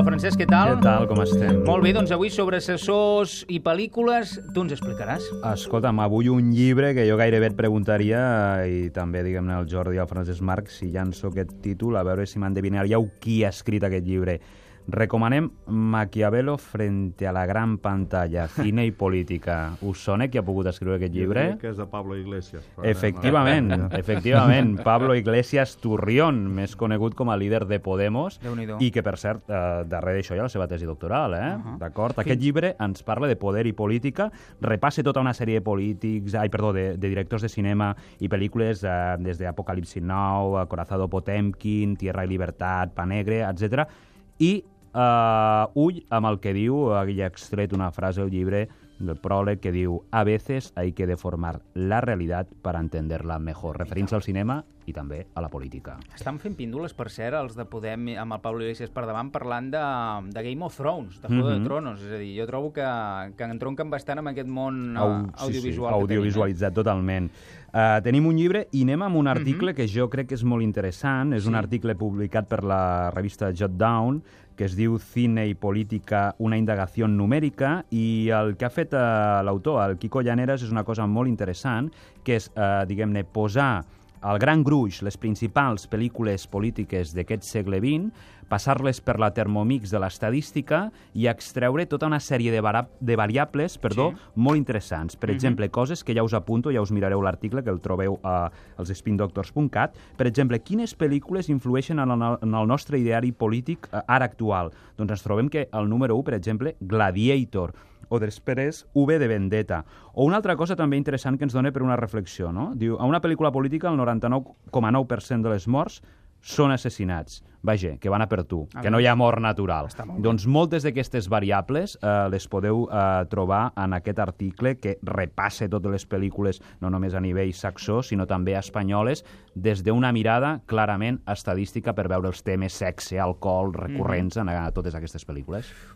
Hola, Francesc, què tal? Què tal, com estem? Molt bé, doncs avui sobre assessors i pel·lícules tu ens explicaràs. Escolta'm, avui un llibre que jo gairebé et preguntaria, i també, diguem-ne, al Jordi i al Francesc Marc, si llanço aquest títol, a veure si m'endevinaríeu qui ha escrit aquest llibre. Recomanem Maquiavelo frente a la gran pantalla, cine i política. Us sona qui ha pogut escriure aquest llibre? Jo diria que és de Pablo Iglesias. Efectivament, Pablo Iglesias Turrión, més conegut com a líder de Podemos, Déu-n'hi-do. i que, per cert, darrere d'això hi ha la seva tesi doctoral, d'acord? Aquest llibre ens parla de poder i política, repassa tota una sèrie de polítics, de directors de cinema i pel·lícules, des d'Apocalipsi Now, Corazado Potemkin, Tierra i Libertat, Pa Negre, etc. I ull amb el que diu, aquí ha extret una frase al llibre del pròleg que diu: a veces hay que deformar la realidad para entenderla mejor, referint-se al cinema i també a la política. Estan fent píndoles, per cert, els de Podem amb el Pablo Iglesias per davant, parlant de Game of Thrones, de Juego de Tronos. És a dir, jo trobo que entronquen bastant amb aquest món audiovisual. Sí, audiovisualitzat totalment. Tenim un llibre i anem amb un article que jo crec que és molt interessant. És un article publicat per la revista Jot Down, que es diu Cine y política, una indagació numèrica, i el que ha fet l'autor, el Quico Llaneras, és una cosa molt interessant, que és, diguem-ne, posar al gran gruix les principals pel·lícules polítiques d'aquest segle XX, passar-les per la Thermomix de l'estadística i extreure tota una sèrie de variables molt interessants. Per exemple, coses que ja us apunto, ja us mirareu l'article, que el trobeu als spindoctors.cat. Per exemple, quines pel·lícules influeixen en el nostre ideari polític ara actual? Doncs ens trobem que el número 1, per exemple, Gladiator, o després V de Vendetta. O una altra cosa també interessant que ens dona per una reflexió, no? Diu, a una pel·lícula política el 99,9% de les morts són assassinats. Vaja, que van a per tu, que no hi ha mort natural. Doncs moltes d'aquestes variables les podeu trobar en aquest article que repassa totes les pel·lícules, no només a nivell saxó, sinó també espanyoles, des d'una mirada clarament estadística per veure els temes sexe, alcohol, recurrents en totes aquestes pel·lícules.